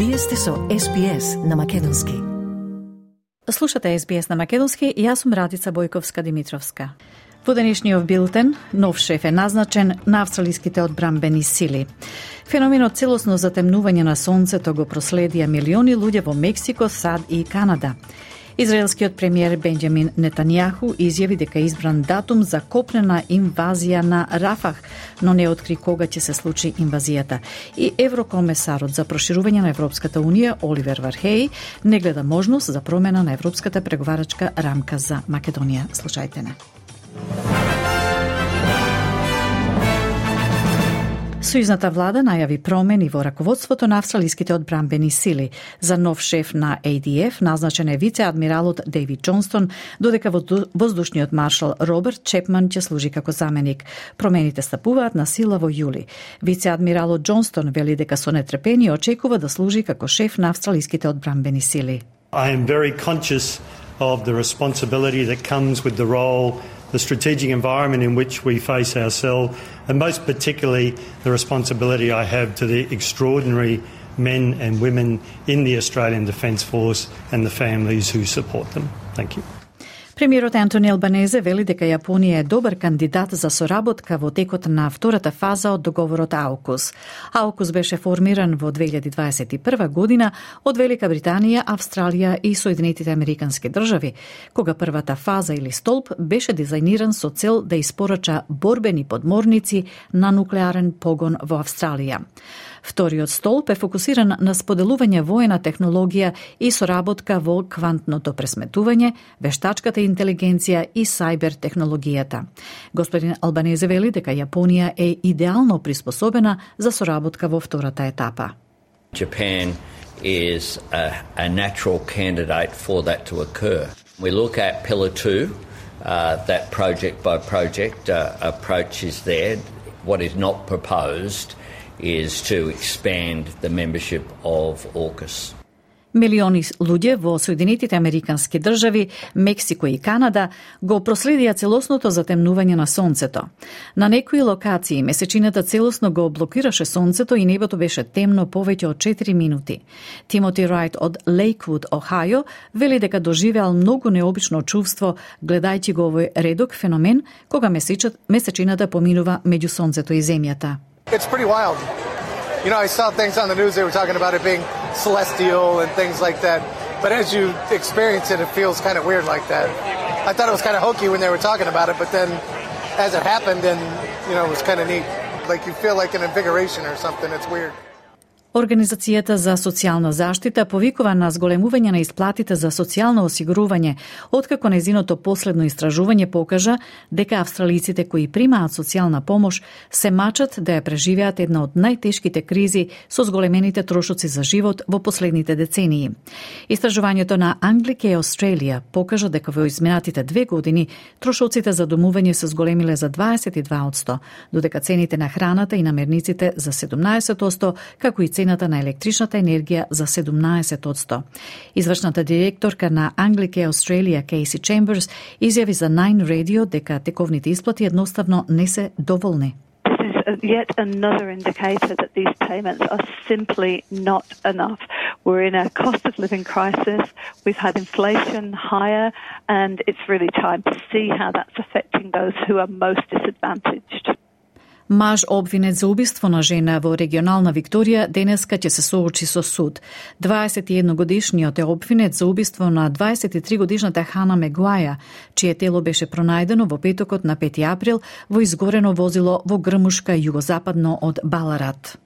Вие сте со SBS на Македонски. Слушате SBS на Македонски и јас сум Радица Бојковска-Димитровска. Во денешниот билтен, нов шеф е назначен на австралиските одбранбени сили. Феноменот целосно затемнување на сонцето го проследија милиони луѓе во Мексико, САД и Канада. Израелскиот премиер Бенџамин Нетањаху изјави дека е избран датум за копнена инвазија на Рафах, но не откри кога ќе се случи инвазијата. И еврокомесарот за проширување на Европската унија Оливер Вархеј не гледа можност за промена на европската преговарачка рамка за Македонија. Слушајте не. Сојузната влада најави промени во раководството на австралиските одбранбени сили. За нов шеф на ADF назначен е вице-адмиралот Дейвид Џонстон, додека воздушниот маршал Роберт Чепман ќе служи како заменик. Промените стапуваат на сила во јули. Вице-адмиралот Џонстон вели дека со нетрпение очекува да служи како шеф на австралиските одбранбени сили. I am very conscious of the responsibility that comes with the role, the strategic environment in which we face ourselves, and most particularly the responsibility I have to the extraordinary men and women in the Australian Defence Force and the families who support them. Thank you. Премиерот Антони Албанезе вели дека Јапонија е добар кандидат за соработка во текот на втората фаза од договорот AUKUS. AUKUS беше формиран во 2021 година од Велика Британија, Австралија и Соединетите Американски држави, кога првата фаза или столб беше дизајниран со цел да испорача борбени подморници на нуклеарен погон во Австралија. Вториот столб е фокусиран на споделување воена технологија и соработка во квантното пресметување, вештачката интелигенција и сајбер технологијата. Господин Албанезе вели дека Јапонија е идеално приспособена за соработка во втората етапа. Japan is a natural candidate for that to occur. We look at Pillar 2, that project by project approach is there. What is not proposed is to expand the membership of AUKUS. Милиони луѓе во Соединетите Американски држави, Мексико и Канада го проследија целосното затемнување на сонцето. На некои локации месечината целосно го блокираше сонцето и небото беше темно повеќе од 4 минути. Тимоти Рајт од Лейквуд, Охајо, вели дека доживеал многу необично чувство гледајќи го овој редок феномен кога месечината поминува меѓу сонцето и земјата. It's pretty wild. You know, I saw things on the news, they were talking about it being celestial and things like that. But as you experience it, it feels kind of weird like that. I thought it was kind of hokey when they were talking about it, but then as it happened, and you know, it was kind of neat. Like you feel like an invigoration or something. It's weird. Организацијата за социјална заштита повикува на зголемување на исплатите за социјално осигурување, откако незиното последно истражување покажа дека австралиците кои примаат социјална помош се мачат да ја преживеат една од најтешките кризи со зголемените трошоци за живот во последните децении. Истражувањето на Anglicare Australia покажа дека во изминатите 2 години трошоците за домување се зголемиле за 22%, додека цените на храната и намерниците за 17%, како и цената на електричната енергија за 17%. Извршната директорка на Anglicare Australia, Casey Chambers, изјави за Nine Radio дека тековните исплати едноставно не се доволни. Yet another indicator that these payments are simply not enough. We're in a cost of living crisis. We've had inflation higher, and it's really time to see how that's affecting those who are most disadvantaged. Маж обвинет за убиство на жена во регионална Викторија денеска ќе се соочи со суд. 21-годишниот е обвинет за убиство на 23-годишната Хана Мегуаја, чие тело беше пронајдено во петокот на 5 април во изгорено возило во грмушка југозападно од Баларат.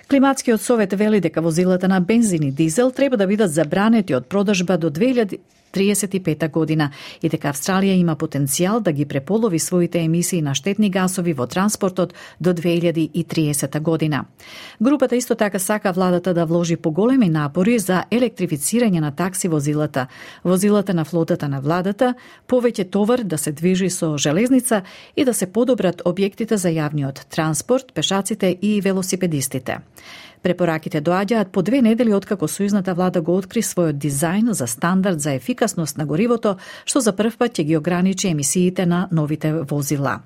Климатскиот совет вели дека возилата на бензин и дизел треба да бидат забранети од продажба до 2035 година и дека Австралија има потенцијал да ги преполови своите емисии на штетни гасови во транспортот до 2030 година. Групата исто така сака владата да вложи поголеми напори за електрифицирање на такси возилата на флотата на владата, повеќе товар да се движи со железница и да се подобрат објектите за јавниот транспорт, пешаците и велосипедистите. Препораките доаѓаат по 2 недели откако сојузната влада го откри својот дизајн за стандард за ефикасност на горивото, што за прв пат ќе ги ограничи емисиите на новите возила.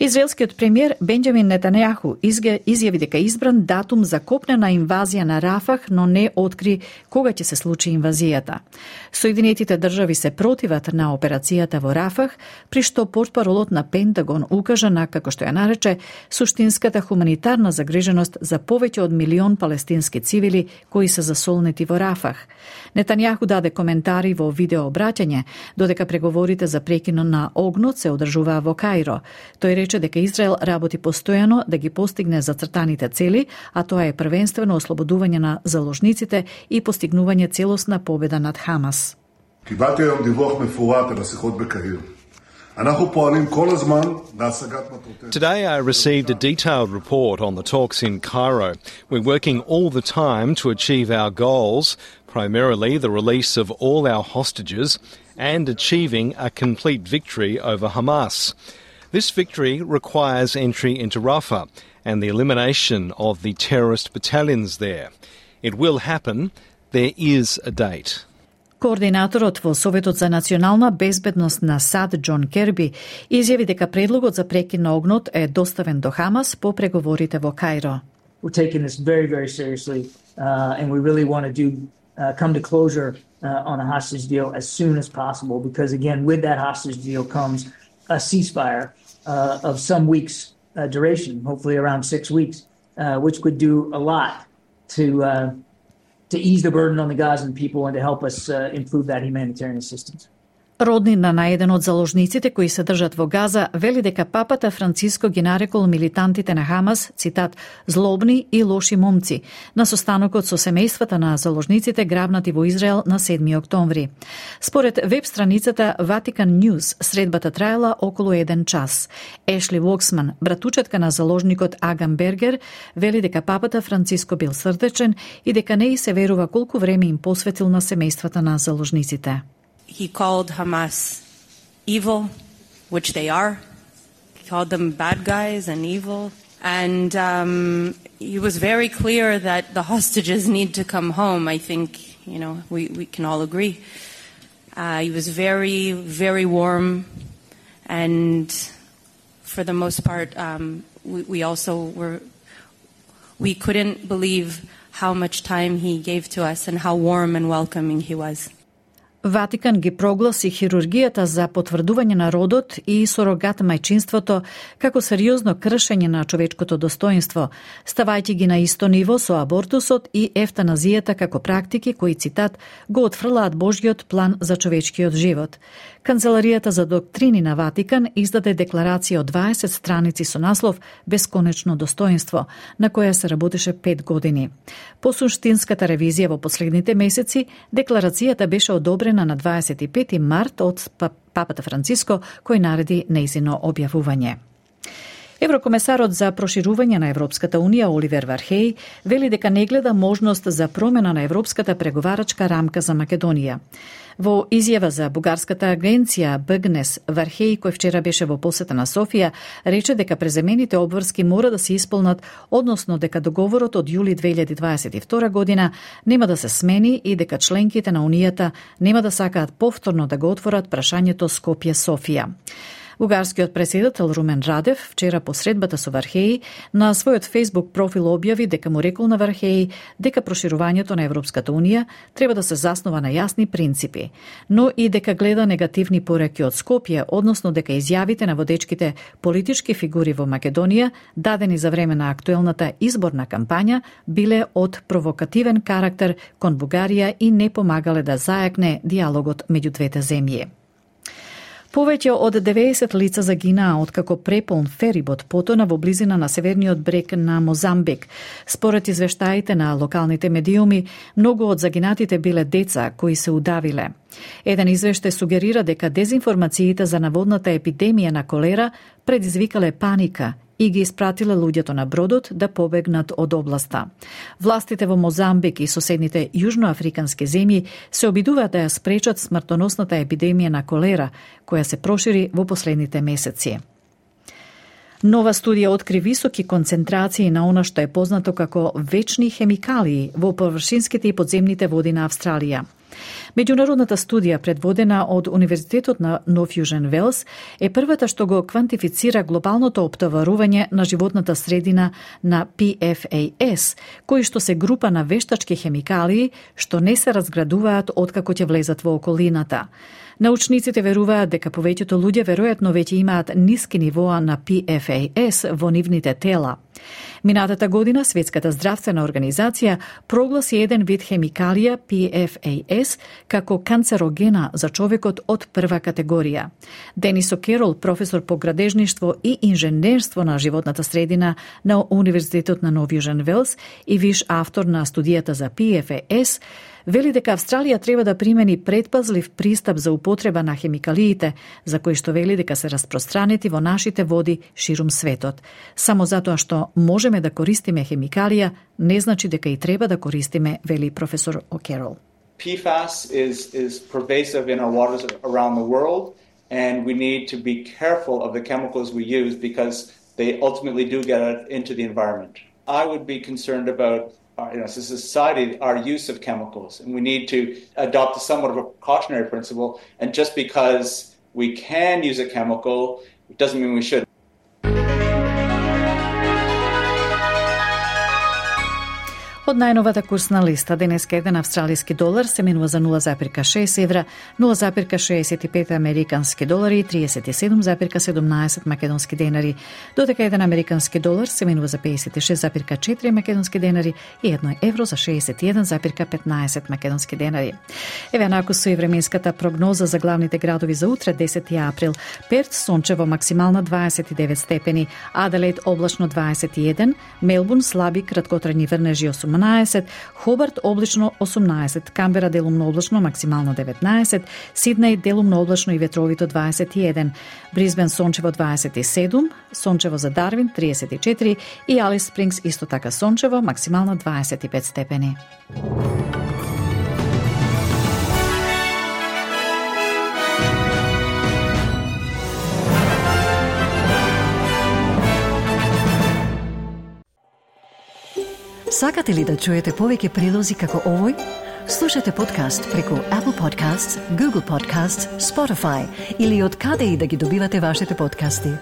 Израелскиот премиер Бенџамин Нетањаху изјави дека избран датум за копнена инвазија на Рафах, но не откри кога ќе се случи инвазијата. Соединетите држави се противат на операцијата во Рафах, при што портпаролот на Пентагон укажа на, како што ја нарече, суштинската хуманитарна загриженост за повеќе од 1 милион палестински цивили кои се засолнети во Рафах. Нетањаху даде коментари во видеообраќање, додека преговорите за прекинот на огнот се одржуваа во Каиро. Тој рече дека Израел работи постојано да ги постигне зацртаните цели, а тоа е првенствено ослободување на заложниците и постигнување целосна победа над Хамас. קיבלתי היום דיווח מפורט על השיחות בקהיר. אנחנו פועלים כל הזמן להשגת מטרותינו. Today I received a detailed report on the talks in Cairo. We're working all the time to achieve our goals, primarily the release of all our hostages and achieving a complete victory over Hamas. This victory requires entry into Rafah and the elimination of the terrorist battalions there. It will happen. There is a date. Координаторот во Советот за национална безбедност на САД Џон Керби изјави дека предлогот за прекин на огнот е доставен до Хамас по преговорите во Каиро. We're taking this very, very seriously, and we really want to come to closure on a hostage deal as soon as possible, because again, with that hostage deal comes a ceasefire of some weeks duration, hopefully around 6 weeks, which could do a lot to ease the burden on the Gazan people and to help us improve that humanitarian assistance. Роднина на еден од заложниците кои се држат во Газа вели дека папата Франциско ги нарекол милитантите на Хамас, цитат, злобни и лоши момци, на состанокот со семејствата на заложниците грабнати во Израел на 7 октомври. Според веб страницата Vatican News, средбата траела околу 1 час. Ешли Воксман, братучетка на заложникот Агам Бергер, вели дека папата Франциско бил срдечен и дека не и се верува колку време им посветил на семејствата на заложниците. He called Hamas evil, which they are. He called them bad guys and evil. And he was very clear that the hostages need to come home. I think, we can all agree. He was very, very warm. And for the most part, we couldn't believe how much time he gave to us and how warm and welcoming he was. Ватикан ги прогласи хирургијата за потврдување на родот и сурогат мајчинството како сериозно кршење на човечкото достоинство, ставајќи ги на исто ниво со абортусот и евтаназијата како практики кои, цитат, го отфрлаат Божјиот план за човечкиот живот. Канцеларијата за доктрини на Ватикан издаде декларација од 20 страници со наслов «Бесконечно достоинство», на која се работеше 5 години. По суштинската ревизија во последните месеци, декларацијата беше одобрена на 25 март од папата Франциско, кој нареди нејзино објавување. Еврокомесарот за проширување на Европската Унија Оливер Вархеј вели дека не гледа можност за промена на европската преговарачка рамка за Македонија. Во изјава за бугарската агенција БГНЕС, Вархеј, кој вчера беше во посета на Софија, рече дека преземените обврски мора да се исполнат, односно дека договорот од јули 2022 година нема да се смени и дека членките на Унијата нема да сакаат повторно да го отворат прашањето Скопје-Софија. Бугарскиот претседател Румен Радев вчера по средбата со Вархеј на својот Facebook профил објави дека му рекол на Вархеј дека проширувањето на Европската Унија треба да се заснова на јасни принципи, но и дека гледа негативни пораки од Скопје, односно дека изјавите на водечките политички фигури во Македонија, дадени за време на актуелната изборна кампања, биле од провокативен карактер кон Бугарија и не помагале да зајакне диалогот меѓу двете земји. Повеќе од 90 лица загинаа откако преполн ферибот потона во близина на северниот брег на Мозамбик. Според извештаите на локалните медиуми, многу од загинатите биле деца кои се удавиле. Еден извештај сугерира дека дезинформациите за наводната епидемија на колера предизвикале паника и ги испратиле луѓето на бродот да побегнат од областа. Властите во Мозамбик и соседните јужноафрикански земји се обидуваат да ја спречат смртоносната епидемија на колера, која се прошири во последните месеци. Нова студија откри високи концентрации на она што е познато како вечни хемикалии во површинските и подземните води на Австралија. Меѓународната студија, предводена од Универзитетот на Нов Јужен Велс, е првата што го квантифицира глобалното оптоварување на животната средина на PFAS, кои што се група на вештачки хемикалии што не се разградуваат откако ќе влезат во околината. Научниците веруваат дека повеќето луѓе веројатно веќе имаат ниски нивоа на PFAS во нивните тела. Минатата година Светската здравствена организација прогласи еден вид хемикалија PFAS како канцерогена за човекот од прва категорија. Денис О'Керол, професор по градежништво и инженерство на животната средина на Универзитетот на Нов Јужен Велс и виш автор на студијата за PFAS, вели дека Австралија треба да примени предпазлив пристап за употреба на хемикалиите, за кои што вели дека се распространети во нашите води ширум светот. Само затоа што можеме да користиме хемикалија, не значи дека и треба да користиме, вели професор О'Керол. PFAS is pervasive in our waters around the world, and we need to be careful of the chemicals we use because they ultimately do get into the environment. I would be concerned about as a society, our use of chemicals, and we need to adopt somewhat of a precautionary principle. And just because we can use a chemical, it doesn't mean we should. Од најновата курсна листа, денеска еден австралиски долар се менува за 0,6 евра, 0,65 американски долари и 37,17 македонски денари, додека еден американски долар се менува за 56,4 македонски денари и 1 евро за 61,15 македонски денари. Еве наку со и временската прогноза за главните градови за утре, 10 април. Перт сончево, максимална 29 степени, Аделаид облачно 21, Мелбурн слаби краткотрајни врнежи 18, Хобарт облачно 18, Камбера делумно облачно максимално 19, Сиднеј делумно облачно и ветровито 21, Брисбен сончево 27, сончево за Дарвин 34 и Алис Спрингс исто така сончево, максимално 25 степени. Сакате ли да чуете повеќе прилози како овој? Слушате подкаст преку Apple Podcasts, Google Podcasts, Spotify или од каде и да ги добивате вашите подкасти.